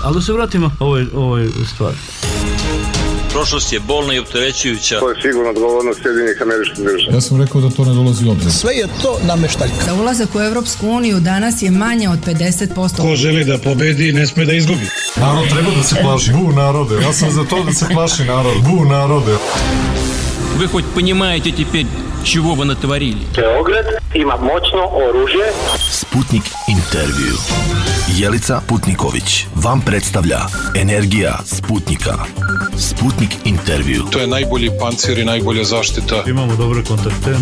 Ali da se vratimo ovoj stvari. Prošlost je bolna i opterećujuća. To je sigurno odgovornost Sjedinjenih Američkih Država. Ja sam rekao da to ne dolazi u obzir. Sve je to nameštaljka. Za ulazak u Evropsku uniju danas je manje od 50%. Ko želi da pobedi, ne sme da izgubi. Narod treba da se plaši. Bu narode. Ja sam za to da se plaši narod. Bu narode. Вы хоть понимаете теперь, чего вы натворили? Beograd ima moćno oružje. Sputnik intervju. Jelica Putniković vam predstavlja Energija Sputnika. Sputnik intervju. To je najbolji pancir i najbolja zaštita. Imamo dobre kontakte.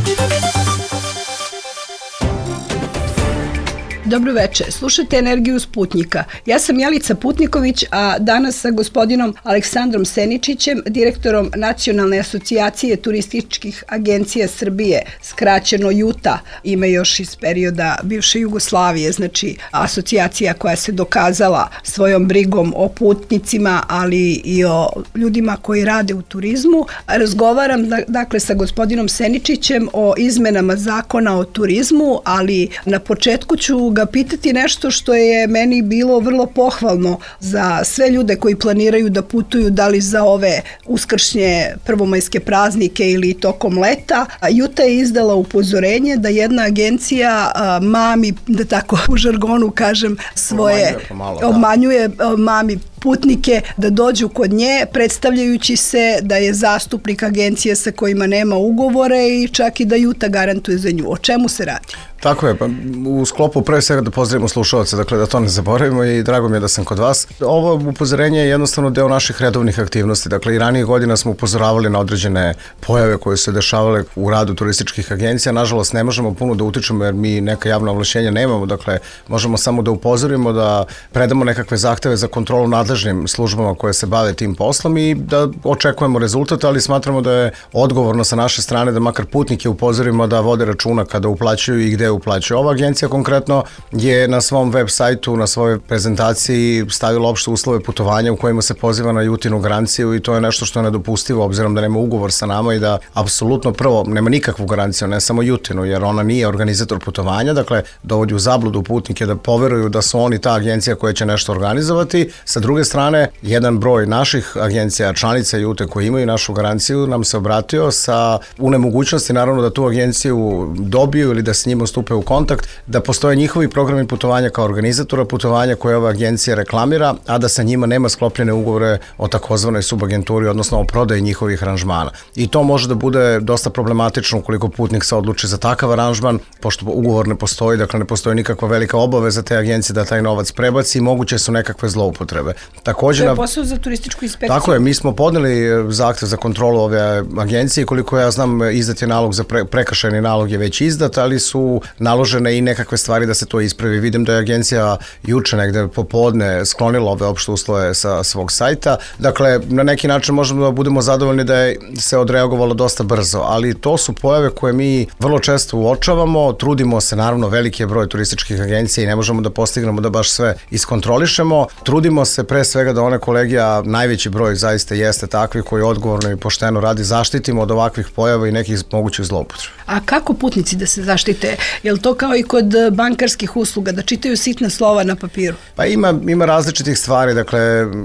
Dobro večer, slušajte Energiju Sputnika. Ja sam Jelica Putniković, a danas sa gospodinom Aleksandrom Seničićem, direktorom Nacionalne asocijacije turističkih agencija Srbije, skraćeno JUTA, ime još iz perioda bivše Jugoslavije, znači asocijacija koja se dokazala svojom brigom o putnicima, ali i o ljudima koji rade u turizmu. Razgovaram dakle sa gospodinom Seničićem o izmenama zakona o turizmu, ali na početku ću ga pitati nešto što je meni bilo vrlo pohvalno za sve ljude koji planiraju da putuju, da li za ove uskršnje prvomajske praznike ili tokom leta. JUTA je izdala upozorenje da jedna agencija mami, da tako u žargonu kažem, svoje obmanjuje mami putnike da dođu kod nje, predstavljajući se da je zastupnik agencije sa kojima nema ugovore i čak i da JUTA garantuje za nju. O čemu se radi? Tako je, pa u sklopu pre svega da pozdravimo slušalce, dakle da to ne zaboravimo i drago mi je da sam kod vas. Ovo upozorenje je jednostavno deo naših redovnih aktivnosti, dakle i ranije godina smo upozoravali na određene pojave koje se dešavale u radu turističkih agencija, nažalost ne možemo puno da utičemo jer mi neka javna ovlašćenja nemamo, dakle možemo samo da upozorimo, da predamo nekakve zahteve za kontrolu nadležnim službama koje se bave tim poslom i da očekujemo rezultat, ali smatramo da je odgovorno sa naše strane da makar putnike upozorimo da vode računa kada uplaćuju i gde uplaćuju. Ova agencija konkretno je na svom web sajtu, na svojoj prezentaciji stavila opšte uslove putovanja u kojima se poziva na JUTINu garanciju i to je nešto što je nedopustivo obzirom da nema ugovor sa nama i da apsolutno prvo nema nikakvu garanciju, ne samo JUTINu, jer ona nije organizator putovanja, dakle dovodi u zabludu putnike da poveruju da su oni ta agencija koja će nešto organizovati. Sa druge strane, jedan broj naših agencija, članica JUTE koji imaju našu garanciju nam se obratio sa nemogućnosti naravno da tu agenciju dobiju ili da s njima stupe u kontakt, da postoje njihovi programi putovanja kao organizatora putovanja koje ova agencija reklamira, a da sa njima nema sklopljene ugovore o takozvanoj subagenturi, odnosno o prodaji njihovih aranžmana. I to može da bude dosta problematično ukoliko putnik se odluči za takav aranžman, pošto ugovor ne postoji, dakle ne postoji nikakva velika obaveza te agencije da taj novac prebaci i moguće su nekakve zloupotrebe. Takođe, to je posao za turističku inspekciju. Tako je, mi smo podneli zahtev za kontrolu ove agencije, koliko ja znam izdat je nalog za prekršajni nalog je već izdat, ali su naložene i nekakve stvari da se to ispravi. Vidim da je agencija juče negde popodne sklonila ove opšte uslove sa svog sajta. Dakle, na neki način možemo da budemo zadovoljni da je se odreagovalo dosta brzo, ali to su pojave koje mi vrlo često uočavamo, trudimo se, naravno veliki je broj turističkih agencija i ne možemo da postignemo da baš sve iskontrolišemo. Trudimo se pre svega da one kolege, a najveći broj zaista jeste takvi koji odgovorno i pošteno radi, zaštitimo od ovakvih pojava i nekih mogućih zloupotreba. A kako putnici da se zaštite? Je li to kao i kod bankarskih usluga, da čitaju sitna slova na papiru? Pa ima različitih stvari, dakle,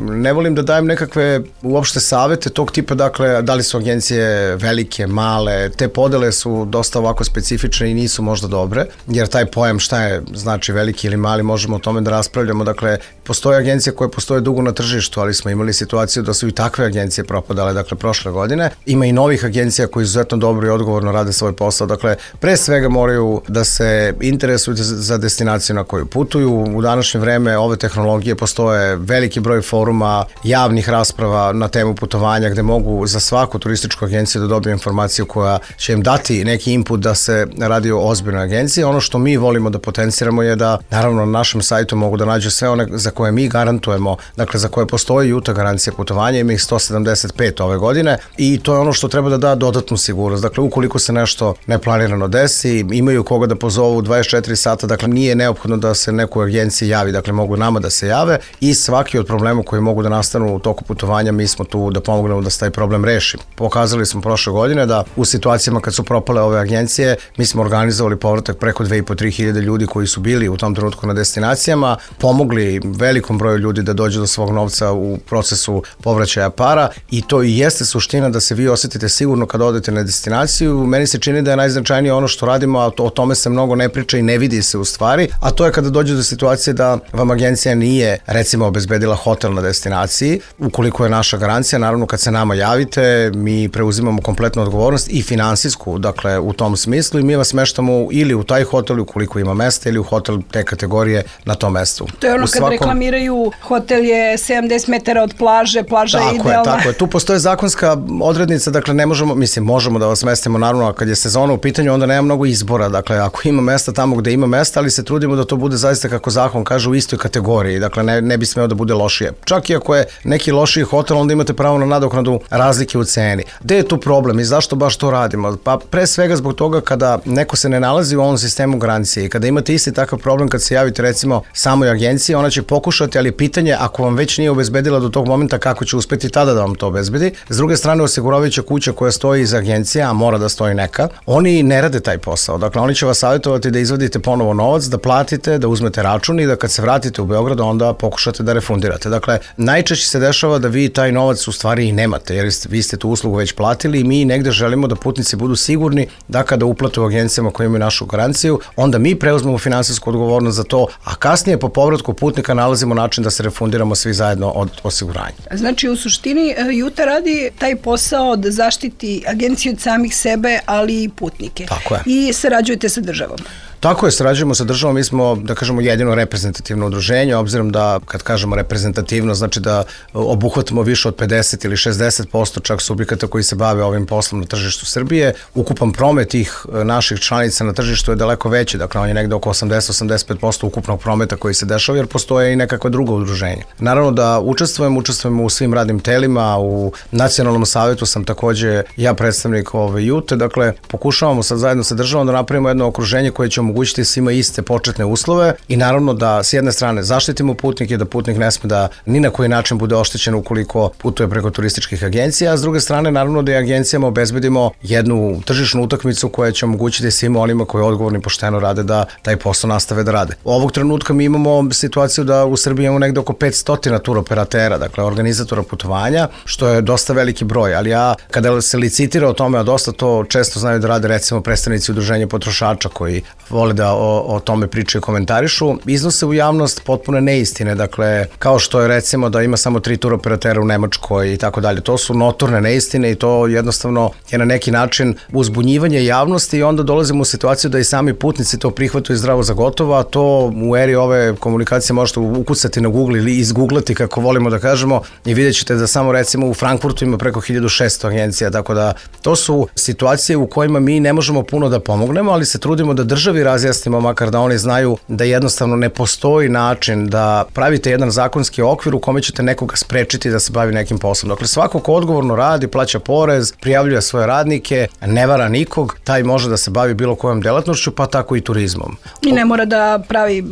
ne volim da dajem nekakve uopšte savete tog tipa, dakle, da li su agencije velike, male, te podele su dosta ovako specifične i nisu možda dobre, jer taj pojam šta je znači veliki ili mali, možemo o tome da raspravljamo, dakle, postoje agencije koje postoje dugo na tržištu, ali smo imali situaciju da su i takve agencije propadale, dakle, prošle godine. Ima i novih agencija koji izuzetno dobro i odgovorno rade svoj posao, dakle, pre svega moraju da se interesuju za destinaciju na koju putuju. U današnje vreme ove tehnologije postoje veliki broj foruma, javnih rasprava na temu putovanja gde mogu za svaku turističku agenciju da dobiju informaciju koja će im dati neki input da se radi o ozbiljnoj agenciji. Ono što mi volimo da potenciramo je da naravno na našem sajtu mogu da nađu sve one za koje mi garantujemo dakle za koje postoji UTA garancija putovanja, ima ih 175 ove godine i to je ono što treba da da dodatnu sigurnost. Dakle, ukoliko se nešto neplanirano desi, imaju koga da pozovu 24 sata, dakle nije neophodno da se nekoj agenciji javi, dakle mogu nama da se jave i svaki od problema koji mogu da nastanu u toku putovanja, mi smo tu da pomognemo da se taj problem reši. Pokazali smo prošle godine da u situacijama kad su propale ove agencije, mi smo organizovali povratak preko 2.500-3 hiljade ljudi koji su bili u tom trenutku na destinacijama, pomogli velikom broju ljudi da dođu do svog novca u procesu povraćaja para i to i jeste suština da se vi osetite sigurno kad odete na destinaciju. Meni se čini da je najznačajnije ono što radimo, a o tome se mnogo ne priča i ne vidi se u stvari, a to je kada dođe do situacije da vam agencija nije, recimo, obezbedila hotel na destinaciji. Ukoliko je naša garancija, naravno kad se nama javite, mi preuzimamo kompletnu odgovornost i finansijsku, dakle u tom smislu i mi vas smeštamo ili u taj hotel ukoliko ima mesta ili u hotel te kategorije na tom mestu. To je ono kad reklamiraju hotel je 70 metara od plaže, plaža je idealna. Tako je. Tu postoje zakonska odrednica, dakle ne možemo, možemo da vas smestimo, naravno, a kad je sezona u pitanju, onda nema mnogo izbora, dakle ako ima mesta tamo gde ima mesta, ali se trudimo da to bude zaista kako zakon kaže u istoj kategoriji, dakle ne bi smeo da bude lošije. Čak i ako je neki lošiji hotel, onda imate pravo na nadoknadu razlike u ceni. Gde je tu problem i zašto baš to radimo? Pa pre svega zbog toga kada neko se ne nalazi u ovom sistemu garancije i kada imate isti takav problem kad se javite recimo samoj agenciji, ona će pokušati, ali pitanje ako vam već nije obezbedila do tog momenta, kako će uspeti tada da vam to obezbedi. S druge strane, osiguravajuća kuća koja stoji iza agencije, a mora da stoji neka, oni ne rade taj posao. Dakle, oni će vas savjetovati da izvadite ponovo novac, da platite, da uzmete račun i da kad se vratite u Beograd, onda pokušate da refundirate. Dakle, najčešće se dešava da vi taj novac u stvari i nemate, jer vi ste tu uslugu već platili i mi negde želimo da putnici budu sigurni da kada uplate u agencijama koje imaju našu garanciju, onda mi preuzmemo finansijsku odgovornost za to, a kasnije po povratku putnika nalazimo način da se refundiramo svi zajedno od osiguranja. Znači, u suštini UTA radi taj posao da zaštiti agenciju od samih sebe, ali i putnike. Tako je. I sarađujete sa državom. Tako je, sarađujemo sa državom, mi smo, da kažemo, jedino reprezentativno udruženje, obzirom da, kad kažemo reprezentativno, znači da obuhvatimo više od 50 ili 60% čak subjekata koji se bave ovim poslom na tržištu Srbije. Ukupan promet tih naših članica na tržištu je daleko veći, dakle on je negde oko 80-85% ukupnog prometa koji se dešava, jer postoje i nekakva druga udruženja. Naravno da učestvujemo u svim radnim telima, u Nacionalnom savetu sam takođe ja predstavnik UTA, dakle pokušavamo sad zajedno sa državom da napravimo jedno okruženje koje će omogućiti svima iste početne uslove i naravno da s jedne strane zaštitimo putnike, da putnik ne sme da ni na koji način bude oštećen ukoliko putuje preko turističkih agencija, a s druge strane naravno da i agencijama obezbedimo jednu tržišnu utakmicu koja će omogućiti svima onima koji odgovorno i pošteno rade da taj posao nastave da rade. Ovog trenutka mi imamo situaciju da u Srbiji imamo negde oko 500 turoperatera, dakle organizatora putovanja, što je dosta veliki broj, ali ja kada se licitira o tome, a dosta to često znaju da rade recimo predstavnici udruženja potrošača koji vole da o tome pričaju i komentarišu, iznose u javnost potpune neistine, dakle, kao što je recimo da ima samo 3 turoperatera u Nemačkoj i tako dalje. To su notorne neistine i to jednostavno je na neki način uzbunjivanje javnosti i onda dolazimo u situaciju da i sami putnici to prihvataju zdravo za gotovo, a to u eri ove komunikacije možete ukucati na Google ili izgooglati, kako volimo da kažemo, i vidjet ćete da samo recimo u Frankfurtu ima preko 1600 agencija, tako da to su situacije u kojima mi ne možemo puno da pomognemo, ali se trudimo da državi razjasnimo, makar da oni znaju da jednostavno ne postoji način da pravite jedan zakonski okvir u kome ćete nekoga sprečiti da se bavi nekim poslom. Dakle, svako ko odgovorno radi, plaća porez, prijavljuje svoje radnike, ne vara nikog, taj može da se bavi bilo kojom delatnošću, pa tako i turizmom. I ne mora da pravi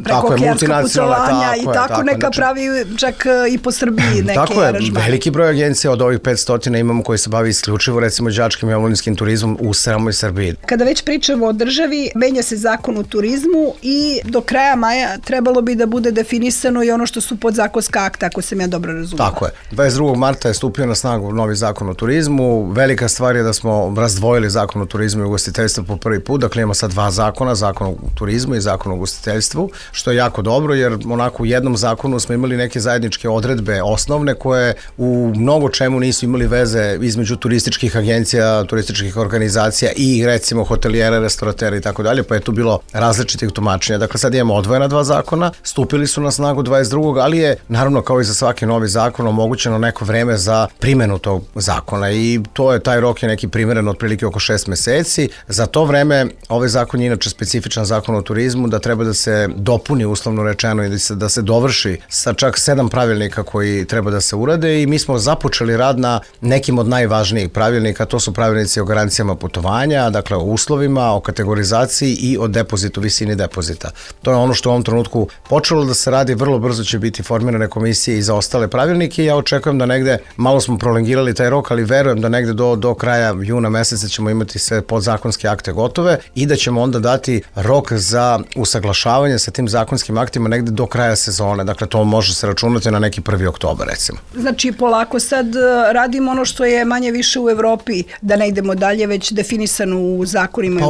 prekookeanska putovanja i tako neka znači, pravi čak i po Srbiji neke aranžmane. Tako je, veliki broj agencija od ovih 500 imamo koji se bavi isključivo recimo đačkim i omladinskim turizmom u samoj Srbiji. Kada već pričamo o državi, menja se zakon o turizmu i do kraja maja trebalo bi da bude definisano i ono što su podzakonska akta, ako sam ja dobro razumela. Tako je. 22. marta je stupio na snagu novi zakon o turizmu. Velika stvar je da smo razdvojili zakon o turizmu i ugostiteljstvu po prvi put. Dakle, imamo sad 2 zakona, zakon o turizmu i zakon o ugostiteljstvu, što je jako dobro, jer onako u jednom zakonu smo imali neke zajedničke odredbe osnovne koje u mnogo čemu nisu imali veze između turističkih agencija, turističkih organizacija i recimo hotelijera, operatera i tako dalje, pa je tu bilo različitih tumačenja. Dakle, sad imamo odvojena dva zakona, stupili su na snagu 22. ali je, naravno, kao i za svaki novi zakon, omogućeno neko vreme za primenu tog zakona i to je, taj rok je neki primjeren otprilike oko 6 meseci. Za to vreme, ovaj zakon je inače specifičan zakon o turizmu, da treba da se dopuni, uslovno rečeno, i da se dovrši sa čak 7 pravilnika koji treba da se urade i mi smo započeli rad na nekim od najvažnijih pravilnika, to su pravilnici o garancijama putovanja, dakle o uslovima, o kategorizaciji i o depozitu, visini depozita. To je ono što u ovom trenutku počelo da se radi, vrlo brzo će biti formirane komisije i za ostale pravilnike i ja očekujem da negde, malo smo prolongirali taj rok, ali verujem da negde do kraja juna meseca ćemo imati sve podzakonske akte gotove i da ćemo onda dati rok za usaglašavanje sa tim zakonskim aktima negde do kraja sezone. Dakle, to može se računati na neki 1. oktobar, recimo. Znači, polako sad radimo ono što je manje više u Evropi, da ne idemo dalje, već definisano u zakonima. Pa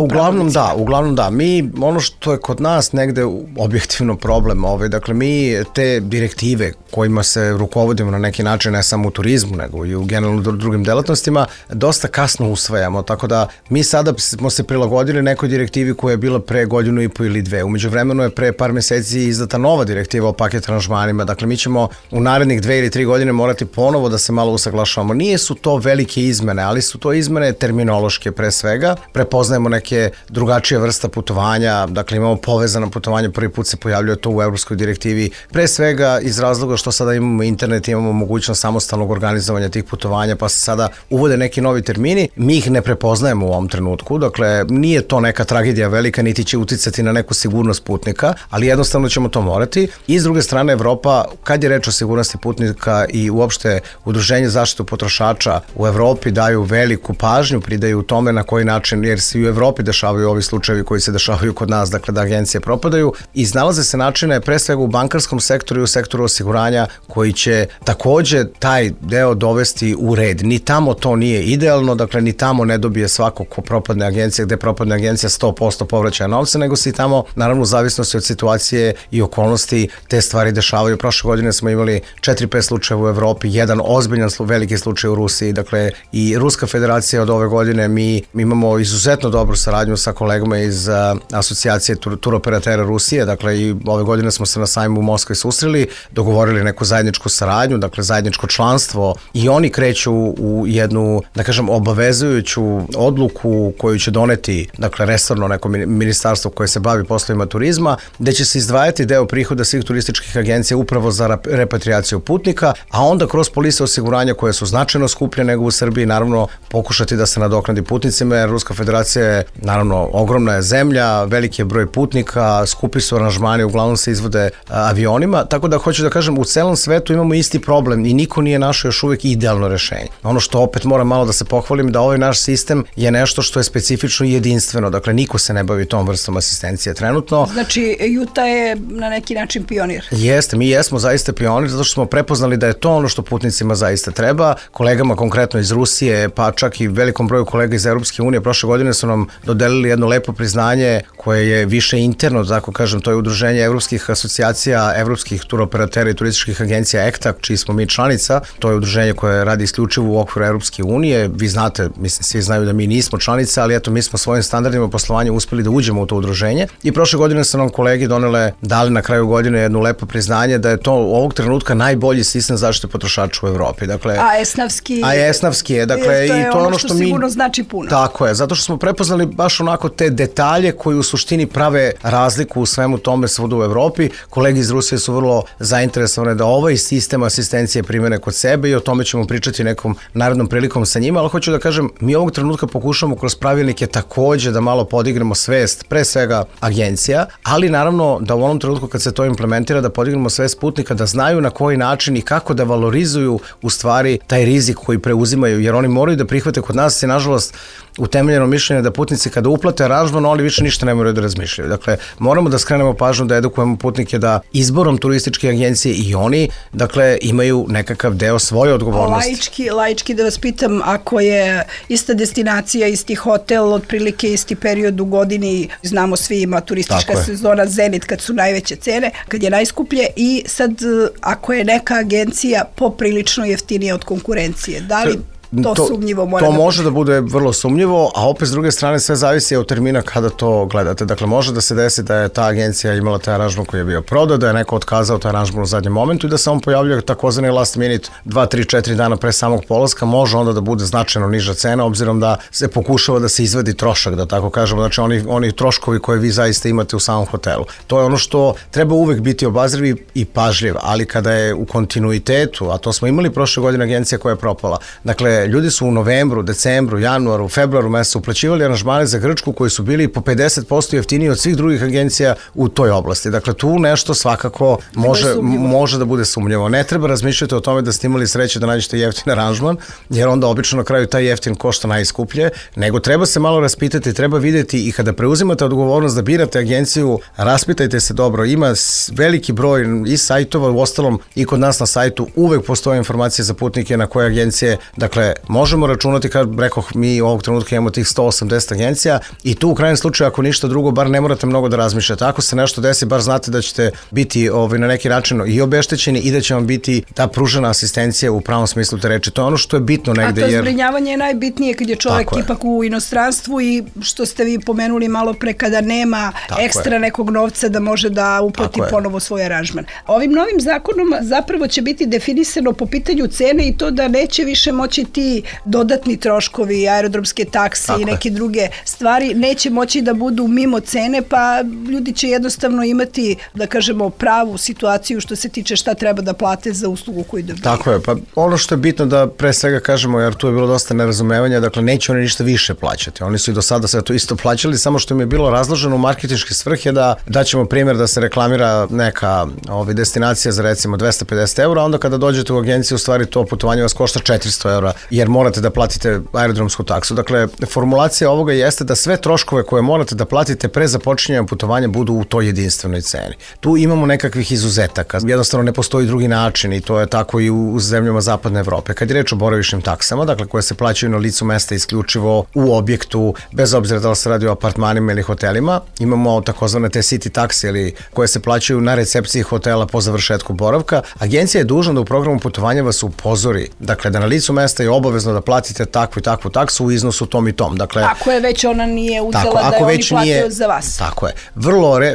uglavnom da. Mi, ono što je kod nas negde objektivno problem, dakle, mi te direktive kojima se rukovodimo na neki način, ne samo u turizmu, nego i u generalno drugim delatnostima, dosta kasno usvajamo, tako da mi sada smo se prilagodili nekoj direktivi koja je bila pre 1,5 godinu ili 2. Umeđu vremenu je pre par meseci izdata nova direktiva o paket aranžmanima, dakle mi ćemo u narednih 2 ili 3 godine morati ponovo da se malo usaglašavamo. Nije su to velike izmene, ali su to izmene terminološke pre svega, prepoznajemo neke drugačije vrsta putovanja, dakle imamo povezana putovanja, prvi put se pojavljuje to u evropskoj direktivi, pre svega iz razloga što sada imamo internet, imamo mogućnost samostalnog organizovanja tih putovanja, pa se sada uvode neki novi termini, mi ih ne prepoznajemo u ovom trenutku, dakle nije to neka tragedija velika, niti će uticati na neku sigurnost putnika, ali jednostavno ćemo to morati. I s druge strane, Evropa, kad je reč o sigurnosti putnika i uopšte Udruženje zaštitu potrošača u Evropi daju veliku pažnju, pridaju tome na koji način, jer se i u Evropi dešavaju ovi slučajevi koji se dešavaju kod nas, dakle da agencije propadaju, i iznalaze se načine pre svega u bankarskom sektoru i u sektoru osiguranja koji će takođe taj deo dovesti u red. Ni tamo to nije idealno, dakle ni tamo ne dobije svako ko propadne agencija, gde propadne agencija 100% povraćaja novca, nego se i tamo, naravno u zavisnosti od situacije i okolnosti, te stvari dešavaju. Prošle godine smo imali 4-5 slučajeva u Evropi, jedan ozbiljan veliki slučaj u Rusiji, dakle i Ruska federacija od ove godine, mi imamo izuzetno dobru saradnju sa kolegama iz asocijacije turoperatera Rusije, dakle i ove godine smo se na sajmu u Moskvi susreli, dogovorili neku zajedničku saradnju, dakle zajedničko članstvo, i oni kreću u jednu, da kažem, obavezujuću odluku koju će doneti, dakle resorno neko ministarstvo koje se bavi poslovima turizma, gde će se izdvajati deo prihoda svih turističkih agencija upravo za repatriaciju putnika, a onda kroz polise osiguranja koje su značajno skuplje nego u Srbiji, naravno pokušati da se nadoknadi putnicima, jer Ruska federacija je, naravno, ogromna je zemlja, veliki je broj putnika, skupi su aranžmani, uglavnom se izvode avionima, tako da hoću da kažem, u celom svetu imamo isti problem i niko nije našao još uvek idealno rešenje. Ono što opet moram malo da se pohvalim, da ovaj naš sistem je nešto što je specifično i jedinstveno, dakle niko se ne bavi tom vrstom asistencije trenutno. Znači, Juta je na neki način pionir. Jeste, mi jesmo zaista pionir, zato što smo prepoznali da je to ono što putnicima zaista treba. Kolegama konkretno iz Rusije, pa čak i velikom broju kolega iz Evropske unije, prošle godine su nam dodelili jedno lepo priznanje koje je više interno, tako kažem, to je Udruženje evropskih asocijacija, evropskih turoperatera i turističkih agencija ECTA, čiji smo mi članica. To je udruženje koje radi isključivo u okviru Evropske unije. Vi znate, mislim, svi znaju da mi nismo članica, ali eto, mi smo svojim standardima poslovanja uspeli da uđemo u to udruženje i prošle godine su nam kolegi dali na kraju godine jedno lepo priznanje da je to ovog trenutka najbolji sistem zaštite potrošača u Evropi. Dakle, a esnavski je, dakle, i to je ono što sigurno znači puno. Tako je, zato što smo prepoznali baš onako te detalje koji u suštini prave razliku u svemu tome svuda u Evropi. Kolegi iz Rusije su vrlo zainteresovane da ovaj sistem asistencije primene kod sebe i o tome ćemo pričati nekom narednom prilikom sa njima, ali hoću da kažem, mi ovog trenutka pokušamo kroz pravilnike takođe da malo podignemo svest, pre svega agencija, ali naravno da u onom trenutku kad se to implementira da podignemo svest putnika, da znaju na koji način i kako da valorizuju u stvari taj rizik koji preuzimaju, jer oni moraju da prihvate. Kod nas je nažalost utemeljeno mišljenje da putnici kada uplate aranžman, oni više ništa ne moraju da razmišljaju. Dakle, moramo da skrenemo pažnju, da edukujemo putnike da izborom turističke agencije i oni, dakle, imaju nekakav deo svoje odgovornosti. Laički da vas pitam, ako je ista destinacija, isti hotel, otprilike isti period u godini, znamo svi, ima turistička sezona Zenit kad su najveće cene, kad je najskuplje, i sad ako je neka agencija poprilično jeftinija od konkurencije, da li to sumnjivo mora to da može bude. da bude vrlo sumnjivo, a opet s druge strane sve zavisi od termina kada to gledate. Dakle, može da se desi da je ta agencija imala taj aranžman koji je bio prodat, da je neko otkazao taj aranžman u zadnjem momentu i da se on pojavljuje takozvani last minute 2, 3, 4 dana pre samog polaska, može onda da bude značajno niža cena, obzirom da se pokušava da se izvadi trošak, da tako kažemo, znači oni troškovi koje vi zaista imate u samom hotelu. To je ono što treba uvek biti obazriv i pažljiv, ali kada je u kontinuitetu, a to smo imali prošle godine agencija koja je propala, dakle, ljudi su u novembru, decembru, januaru, februaru mesecu uplaćivali aranžmane za Grčku koji su bili po 50% jeftiniji od svih drugih agencija u toj oblasti. Dakle, tu nešto svakako može da bude sumnjivo. Ne treba razmišljati o tome da ste imali sreće da nađete jeftin aranžman, jer onda obično na kraju taj jeftin košta najskuplje, nego treba se malo raspitati, treba videti i kada preuzimate odgovornost da birate agenciju, raspitajte se dobro. Ima veliki broj i sajtova, u ostalom i kod nas na sajtu uvek postoje informacije za putnike na koje agencije, dakle, možemo računati, kad rekoh, mi ovog trenutka imamo tih 180 agencija i tu u krajnjem slučaju, ako ništa drugo, bar ne morate mnogo da razmišljate. Ako se nešto desi, bar znate da ćete biti na neki način i obeštećeni i da će vam biti ta pružena asistencija u pravom smislu te reči. To je ono što je bitno negde. A to zbrinjavanje je najbitnije kad je čovek ipak u inostranstvu i što ste vi pomenuli malo pre, kada nema ekstra nekog novca da može da uplati ponovo svoj aranžman. Ovim novim zakonom zapravo će biti definisano po pitanju cene i to da neće više moći ti dodatni troškovi, aerodromske takse i neke druge stvari, neće moći da budu mimo cene, pa ljudi će jednostavno imati, da kažemo, pravu situaciju što se tiče šta treba da plate za uslugu koju dobiju. Tako je, pa ono što je bitno da pre svega kažemo, jer tu je bilo dosta nerazumevanja, dakle neće oni ništa više plaćati. Oni su i do sada sve to isto plaćali, samo što im je bilo razloženo u marketinške svrhe da ćemo primjer da se reklamira neka destinacija za recimo 250 €, onda kada dođete u agenciju, u stvari to putovanje vas košta 400 €, jer morate da platite aerodromsku taksu. Dakle, formulacija ovoga jeste da sve troškove koje morate da platite pre započinjanja putovanja budu u toj jedinstvenoj ceni. Tu imamo nekakvih izuzetaka, jednostavno ne postoji drugi način i to je tako i u zemljama zapadne Evrope. Kad je reč o boravišnim taksama, dakle koje se plaćaju na licu mesta isključivo u objektu, bez obzira da li se radi o apartmanima ili hotelima, imamo takozvane te city takse ili koje se plaćaju na recepciji hotela po završetku boravka. Agencija je dužna da u programu putovanja vas upozori, dakle da na licu mesta je obavezno da platite takvu i takvu taksu u iznosu tom i tom. Dakle, ako je već ona nije uzela da je oni platio za vas. Tako je.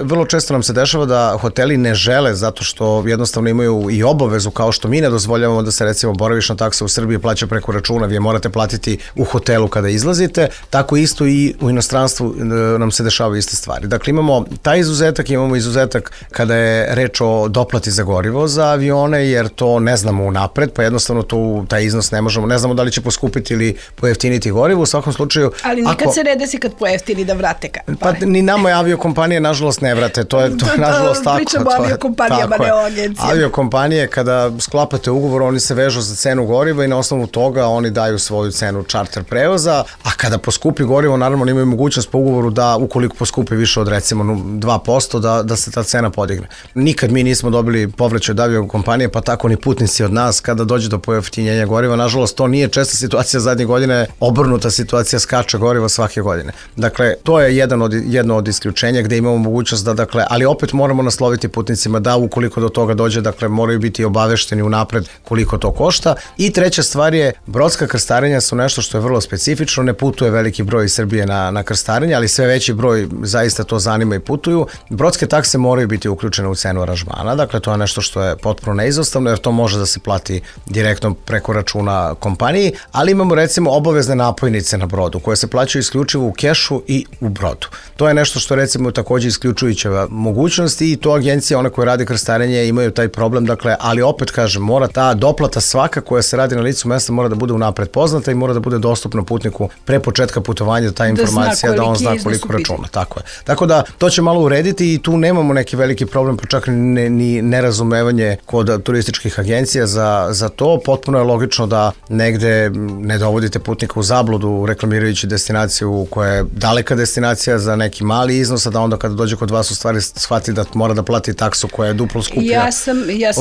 Vrlo često nam se dešava da hoteli ne žele zato što jednostavno imaju i obavezu, kao što mi ne dozvoljavamo da se recimo boravišna taksa u Srbiji plaća preko računa, vi je morate platiti u hotelu kada izlazite, tako isto i u inostranstvu nam se dešavaju iste stvari. Dakle, imamo taj izuzetak, imamo izuzetak kada je reč o doplati za gorivo za avione, jer to ne znamo unapred, pa jednostavno taj iznos ne možemo, ne znamo da li će poskupiti ili pojeftiniti gorivo, u svakom slučaju. Ali nikad se ne desi kad pojeftini da vrate pare. Pa ni nama je aviokompanije nažalost ne vrate, to je nažalost tako. Pričamo o aviokompanijama, ne o agencijama. Aviokompanije kada sklapate ugovor, oni se vežu za cenu goriva i na osnovu toga oni daju svoju cenu čarter prevoza, a kada poskupi gorivo, naravno imaju mogućnost po ugovoru da ukoliko poskupi više od recimo 2% da se ta cena podigne. Nikad mi nismo dobili povraćaj od aviokompanije, pa tako ni putnici od nas kada dođe do pojeftinjenja goriva. Nažalost, to nije česta situacija zadnje godine, obrnuta situacija, skače gorivo svake godine. Dakle, to je jedno od isključenja gde imamo mogućnost da, dakle, ali opet moramo nasloviti putnicima da ukoliko do toga dođe, dakle, moraju biti obavešteni unapred koliko to košta. I treća stvar je, brodska krstarenja su nešto što je vrlo specifično, ne putuje veliki broj iz Srbije na krstarenje, ali sve veći broj zaista to zanima i putuju. Brodske takse moraju biti uključene u cenu aranžmana, dakle, to je nešto što je potpuno neizostavno, jer to može da se plati direktno preko računa kompaniji, ali imamo recimo obavezne napojnice na brodu koje se plaćaju isključivo u kešu i u brodu. To je nešto što recimo takođe isključujuća mogućnost i to agencije, one koje radi krstarenje, imaju taj problem, dakle, ali opet kažem, mora ta doplata svaka koja se radi na licu mesta mora da bude unapred poznata i mora da bude dostupna putniku pre početka putovanja, ta informacija da on zna koliko računa. Tako je. Tako da to će malo urediti i tu nemamo neki veliki problem, pa čak ni nerazumevanje kod turističkih agencija za to. Potpuno je logično da negde ne dovodite putnika u zabludu reklamirajući destinaciju koja je daleka destinacija za neki mali iznos, a da onda kada dođe kod vas u stvari shvati da mora da plati taksu koja je duplo skuplja. Ja sam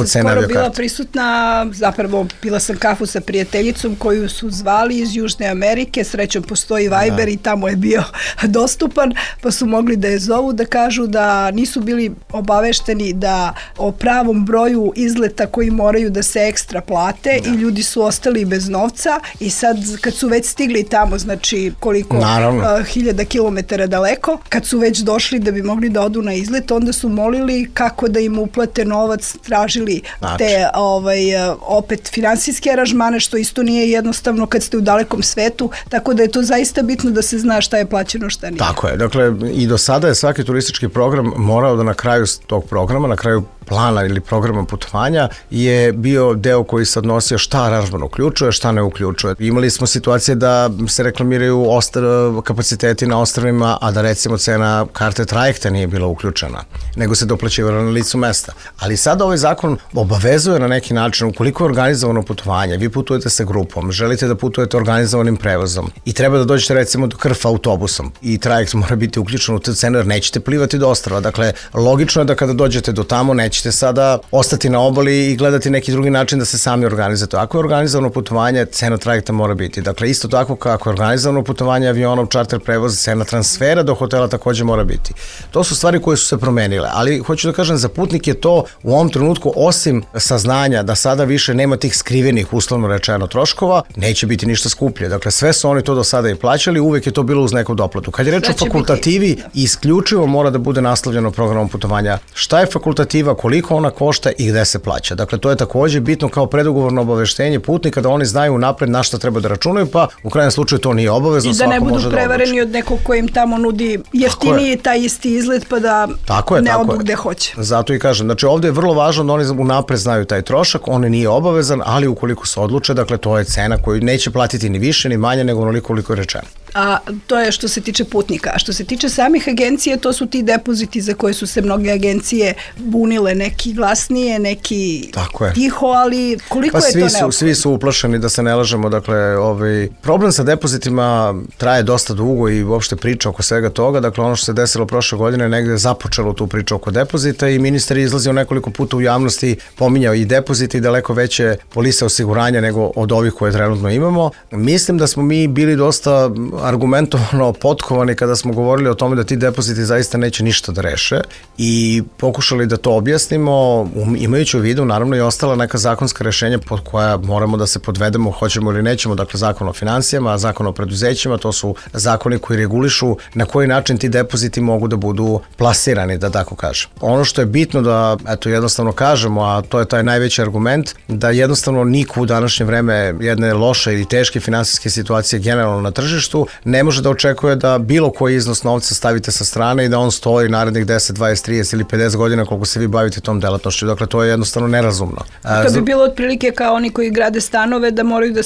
skoro bila prisutna, zapravo pila sam kafu sa prijateljicom koju su zvali iz Južne Amerike, srećom postoji Viber i tamo je bio dostupan, pa su mogli da je zovu da kažu da nisu bili obavešteni da o pravom broju izleta koji moraju da se ekstra plate i ljudi su ostali bez novca i sad kad su već stigli tamo, znači koliko hiljada kilometara daleko, kad su već došli da bi mogli da odu na izlet, onda su molili kako da im uplate novac, tražili te opet finansijske aranžmane, što isto nije jednostavno kad ste u dalekom svetu, tako da je to zaista bitno da se zna šta je plaćeno, šta nije. Tako je, dakle i do sada je svaki turistički program morao da na kraju tog programa, na kraju plana ili programa putovanja je bio deo koji se odnosio šta aranžman uključuje, šta ne uključuje. Imali smo situacije da se reklamiraju kapaciteti na ostrvima, a da recimo cena karte trajekta nije bila uključena, nego se doplaćivala na licu mesta. Ali sada ovaj zakon obavezuje na neki način, ukoliko je organizovano putovanje, vi putujete sa grupom, želite da putujete organizovanim prevozom i treba da dođete recimo do Krfa autobusom i trajekt mora biti uključen u tu cenu jer nećete plivati do ostrva. Dakle, logično je da kada dođete do tamo nećete sada ostati na obali i gledati neki drugi način da se sami organizujete. Ako je organizovano putovanje, cena trajekta mora biti. Dakle, isto tako kako je organizovano putovanje avionom, čarter prevoz, cena transfera do hotela takođe mora biti. To su stvari koje su se promenile, ali hoću da kažem, za putnike to u ovom trenutku, osim saznanja da sada više nema tih skrivenih, uslovno rečeno, troškova, neće biti ništa skuplje. Dakle, sve su oni to do sada i plaćali, uvek je to bilo uz neku doplatu. Kad je reč o fakultativi, isključivo mora da bude naslovljeno programom putovanja. Šta je fakultativa, koliko ona košta i gde se plaća. Dakle, to je takođe bitno kao predugovorno obaveštenje putnika da oni znaju napred na šta treba da računaju, pa u krajnjem slučaju to nije obavezno. I da ne budu prevareni od nekog ko im tamo nudi jeftiniji taj isti izlet pa da ne odu gde hoće. Zato i kažem, znači ovde je vrlo važno da oni unapred znaju taj trošak, on nije obavezan, ali ukoliko se odluče, dakle to je cena koju neće platiti ni više ni manje nego onoliko koliko je rečeno. A to je što se tiče putnika. A što se tiče samih agencija, to su ti depoziti za koje su se mnoge agencije bunile, neki glasnije, neki tiho, ali koliko je to neophodno? Svi su uplašeni, da se ne lažemo, dakle, problem sa depozitima traje dosta dugo i uopšte priča oko svega toga, dakle ono što se desilo prošle godine negde je započelo tu priču oko depozita i ministar je izlazio nekoliko puta u javnosti, pominjao i depozite i daleko veće polise osiguranja nego od ovih koje trenutno imamo. Mislim da smo mi bili dosta argumentovano potkovani kada smo govorili o tome da ti depoziti zaista neće ništa da reše i pokušali da to objasnimo, imajući u vidu naravno i ostala neka zakonska rešenja pod koja moramo da se podvedemo, hoćemo ili nećemo, dakle zakon o finansijama, zakon o preduzećima, to su zakoni koji regulišu na koji način ti depoziti mogu da budu plasirani, da tako kažem. Ono što je bitno da, eto, jednostavno kažemo, a to je taj najveći argument, da jednostavno niko u današnje vreme jedne loše ili teške finansijske situacije generalno na tržištu ne može da očekuje da bilo koji iznos novca stavite sa strane i da on stoji narednih 10, 20, 30 ili 50 godina koliko se vi bavite tom delatnošću. Dakle, to je jednostavno nerazumno. To bi bilo otprilike kao oni koji grade stanove da moraju da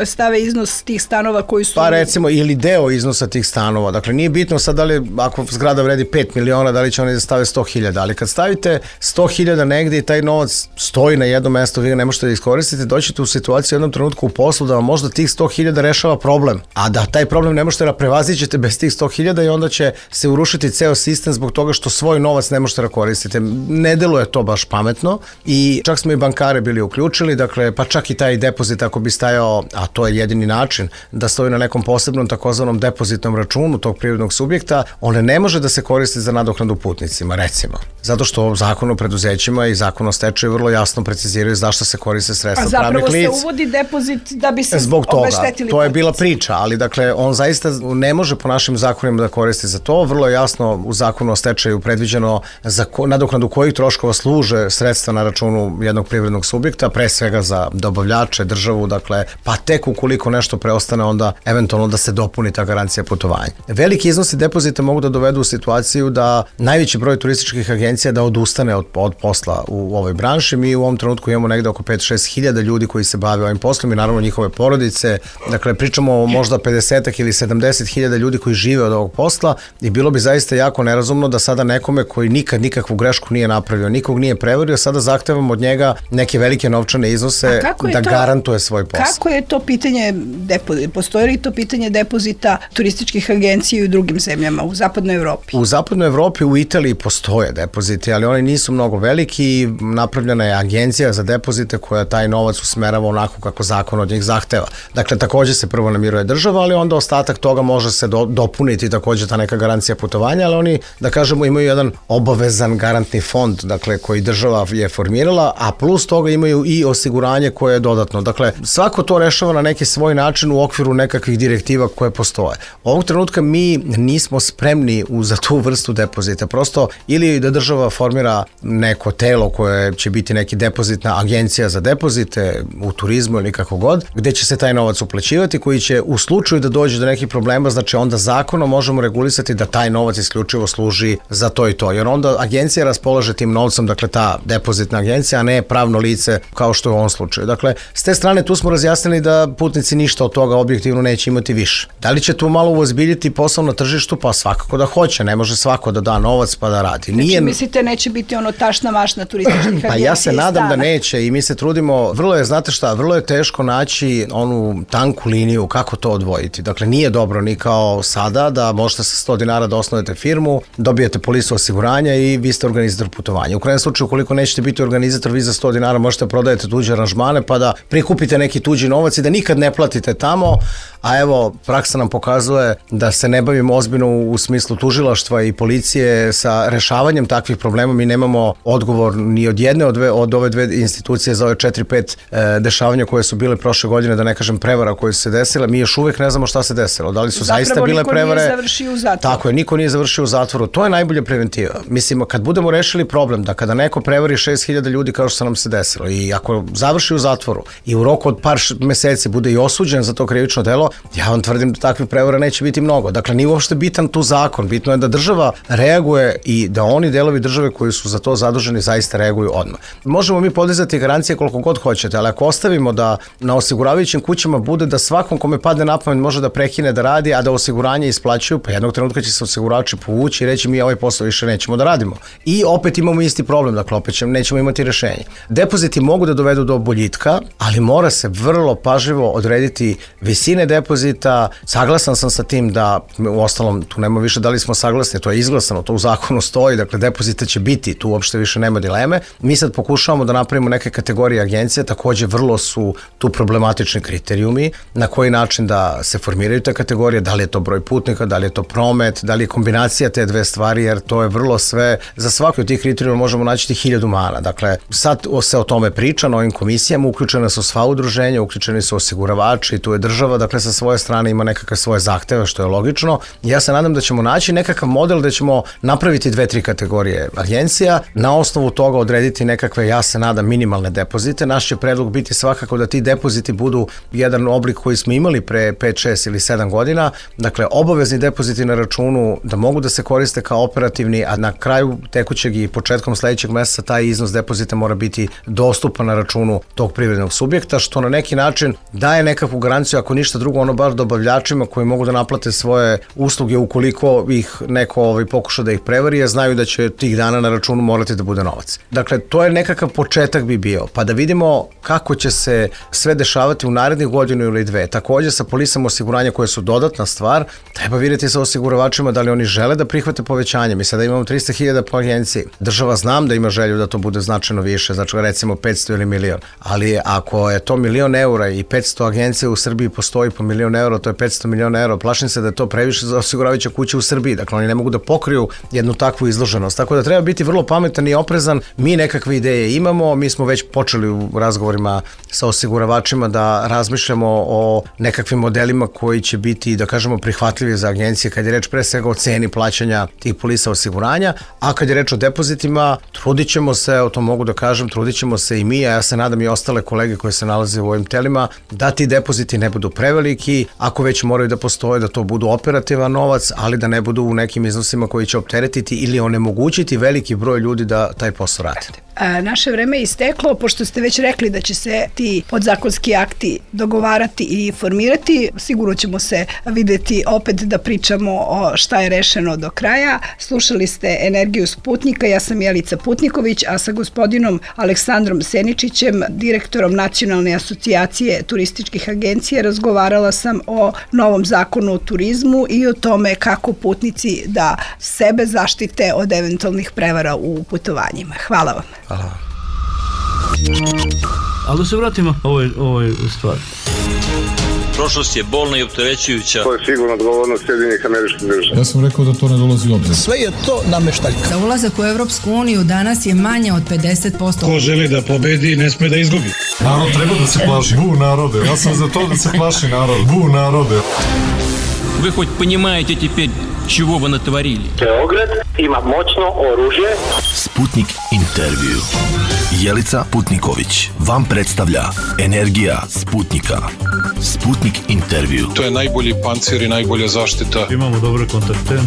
stave iznos tih stanova koji su... Pa recimo, ili deo iznosa tih stanova. Dakle, nije bitno sad da li, ako zgrada vredi 5 miliona, da li će oni da stave 100.000, ali kad stavite 100.000 negde i taj novac stoji na jednom mestu, vi ga ne možete da iskoristite, doćete u situaciju u jednom trenutku u poslu da vam možda tih 100.000 rešava problem, a da taj problem ne možete da prevaziđete bez tih 100.000 i onda će se urušiti ceo sistem zbog toga što svoj novac ne možete da koristite. Ne deluje to baš pametno i čak smo i bankare bili uključili, dakle, pa čak i taj depozit ako bi stajao, a to je jedini način, da stoji na nekom posebnom takozvanom depozitnom računu tog privrednog subjekta, on ne može da se koristi za nadoknadu putnicima, recimo. Zato što zakon o preduzećima i zakon o stečaju vrlo jasno preciziraju zašto se koriste sredstva pravnih lica. A zapravo se uvodi depozit da bi se zbog toga, obeštetili. To je bila priča, ali dakle, on zaista ne može po našim zakonima da koristi za to. Vrlo je jasno u zakonu o stečaju predviđeno za nadoknadu kojih troškova služe sredstva na računu jednog privrednog subjekta, pre svega za dobavljače, državu, dakle, pa tek ukoliko nešto preostane, onda eventualno da se dopuni ta garancija putovanja. Veliki iznosi depozita mogu da dovedu u situaciju da najveći broj turističkih agencija da odustane od posla u ovoj branši. Mi u ovom trenutku imamo negde oko 5-6 hiljada ljudi koji se bave ovim poslom i naravno njihove porodice. Dakle, pričamo o možda 50 ili 70 hiljada ljudi koji žive od ovog posla i bilo bi zaista jako nerazumno da sada nekome koji nikad nikakvu grešku nije napravio, nikog nije prevario, sada zahtevamo od njega neke velike novčane iznose da garantuje svoj posao. Kako je to pitanje depozita? Postoji li to pitanje depozita turističkih agencija i u drugim zemljama, u zapadnoj Evropi? U zapadnoj Evropi, u Italiji postoje depoziti, ali oni nisu mnogo veliki i napravljena je agencija za depozite koja taj novac usmerava onako kako zakon od njih zahteva. Dakle, takođe se prvo namiruje država, ali onda ostatak toga može se dopuniti takođe ta neka garancija putovanja, ali oni, da kažemo, imaju jedan obavezan garantni fond, dakle, koji država je formirala, a plus toga imaju i osiguranje koje je dodatno. Dakle, svako to rešava na neki svoj način u okviru nekakvih direktiva koje postoje. Ovog trenutka mi nismo spremni za tu vrstu depozita. Prosto, ili da država formira neko telo koje će biti neki depozitna agencija za depozite u turizmu ili kako god, gde će se taj novac uplaćivati, koji će u slučaju da dođe do nekih problema, znači onda zakonom možemo regulisati da taj novac isključivo služi za to i to. Jer onda agencija raspolaže tim novcem, dakle ta depozitna agencija, a ne pravno lice kao što je u ovom slučaju. Dakle, s te strane tu smo razjasnili da putnici ništa od toga objektivno neće imati više. Da li će tu malo uozbiljiti posao na tržištu? Pa svakako da hoće, ne može svako da da novac pa da radi. Znači, mislite, neće biti ono tašna mašna turističkih agencija? Pa ja se nadam da neće i mi se trudimo, vrlo je teško naći onu tanku liniju kako to odvojiti. Dakle, nije dobro ni kao sada da možete sa 100 dinara da osnovete firmu, dobijete polisu osiguranja i vi ste organizator putovanja. U krajnjem slučaju, ukoliko nećete biti organizator, vi za 100 dinara možete prodajete tuđe aranžmane pa da prikupite neki tuđi novac i da nikad ne platite tamo, a evo, praksa nam pokazuje da se ne bavimo ozbiljno u smislu tužilaštva i policije sa rešavanjem takvih problema. Mi nemamo odgovor ni od jedne od ove dve institucije za ove 4-5 dešavanja koje su bile prošle godine, da ne kažem prevara koje su se desile. Mi još uvek ne znamo šta se desilo. Da li su zaista bile prevare? Zapravo niko nije završio u zatvoru. Tako je, niko nije završio u zatvoru. To je najbolja preventiva. Mislim, kad budemo rešili problem da kada neko prevari 6.000 ljudi kao što se nam se desilo i ako završi u zatvoru i u roku od par meseci bude i osuđen za to krivično delo, ja vam tvrdim da takvih prevara neće biti mnogo. Dakle, nije uopšte bitan tu zakon. Bitno je da država reaguje i da oni delovi države koji su za to zaduženi zaista reaguju odmah. Možemo mi podizati garancije koliko god hoćete, ali ako ostavimo da na osiguravajućim kućama bude da svakom kome padne na pamet može da prekine da radi, a da osiguranje isplaćuju, pa jednog trenutka će se osiguravači povući i reći mi ovaj posao više nećemo da radimo. I opet imamo isti problem, dakle opet nećemo imati rešenje. Depoziti mogu da dovedu do boljitka, ali mora se vrlo pažljivo odrediti visine depozita. Saglasan sam sa tim da, u ostalom, tu nema više da li smo saglasni, to je izglasano, to u zakonu stoji, dakle depozita će biti, tu uopšte više nema dileme. Mi sad pokušavamo da napravimo neke kategorije agencije, takođe vrlo su tu problematični kriterijumi, na koji način da se formiraju te kategorije, da li je to broj putnika, da li je to promet, da li je kombinacija te dve stvari, jer to je vrlo sve, za svaki od tih kriterijuma možemo naći 1000 mana. Dakle, sad se o tome priča na ovim komisijama, uključene su sva udruženja, uključeni su osiguravači, tu je država, dakle sa svoje strane ima nekakve svoje zahteve, što je logično. Ja se nadam da ćemo naći nekakav model da ćemo napraviti 2-3 kategorije agencija, na osnovu toga odrediti nekakve, ja se nadam, minimalne depozite. Naš će predlog biti svakako da ti depoziti budu jedan oblik koji smo imali pre 5, 6 ili 7 godina, dakle obavezni depoziti na računu da mogu da se koriste kao operativni, a na kraju tekućeg i početkom sledećeg meseca taj iznos depozita mora biti dostupan na računu tog privrednog subjekta, što na neki način daje nekakvu garanciju, ako ništa drugo, ono bar dobavljačima koji mogu da naplate svoje usluge ukoliko ih neko pokuša da ih prevari, a znaju da će tih dana na računu morati da bude novac. Dakle, to je nekakav početak bi bio, pa da vidimo kako će se sve dešavati u narednih godinu ili dve. Takođe sa polisama osiguranja koje su dodatna stvar, treba vidjeti sa osiguravačima da li oni žele da prihvate povećanje. Mi sada imamo 300.000 po agenciji. Država znam da ima želju da to bude značajno više, znači recimo 500 ili milion. Ali ako je to 1.000.000 eura i 500 agencija u Srbiji postoji po 1.000.000 eura, to je 500 miliona eura. Plašim se da je to previše za osiguravajuće kuće u Srbiji. Dakle, oni ne mogu da pokriju jednu takvu izloženost. Tako da treba biti vrlo pametan i oprezan. Mi nekakve ideje imamo, mi smo već počeli u razgovorima sa osiguravačima da razmišljamo o nekakvim modelima koji će biti, da kažemo, prihvatljivi za agencije, kad je reč pre svega o ceni plaćanja tih polisa osiguranja, a kad je reč o depozitima, trudit ćemo se, o tom mogu da kažem, trudit ćemo se i mi, a ja se nadam i ostale kolege koje se nalaze u ovim telima, da ti depoziti ne budu preveliki, ako već moraju da postoje, da to budu operativan novac, ali da ne budu u nekim iznosima koji će opteretiti ili onemogućiti veliki broj ljudi da taj posao rade. Naše vreme je isteklo, pošto ste već rekli da će se ti podzakonski akti dogovarati i formirati, sigurno ćemo se videti opet da pričamo o šta je rešeno do kraja. Slušali ste Energiju Sputnika, ja sam Jelica Putniković, a sa gospodinom Aleksandrom Seničićem, direktorom Nacionalne asocijacije turističkih agencija, razgovarala sam o novom zakonu o turizmu i o tome kako putnici da sebe zaštite od eventualnih prevara u putovanjima. Hvala vam. Hvala. Ali da se vratimo ovoj stvari. Prošlost je bolna i opterećujuća. To je sigurno odgovornost Sjedinjenih Američkih Država. Ja sam rekao da to ne dolazi u obzir. Sve je to nameštaljka. Za ulazak u Evropsku uniju danas je manje od 50%. Ko želi da pobedi, ne sme da izgubi. Narod treba da se plaši. Bu narode, ja sam za to da se plaši narod. Bu narode. Вы хоть понимаете теперь, чего вы натворили? Beograd ima moćno oružje. Sputnik intervju. Jelica Putniković vam predstavlja Energija Sputnika. Sputnik intervju. To je najbolji pancir i najbolja zaštita. Imamo dobre kontakte.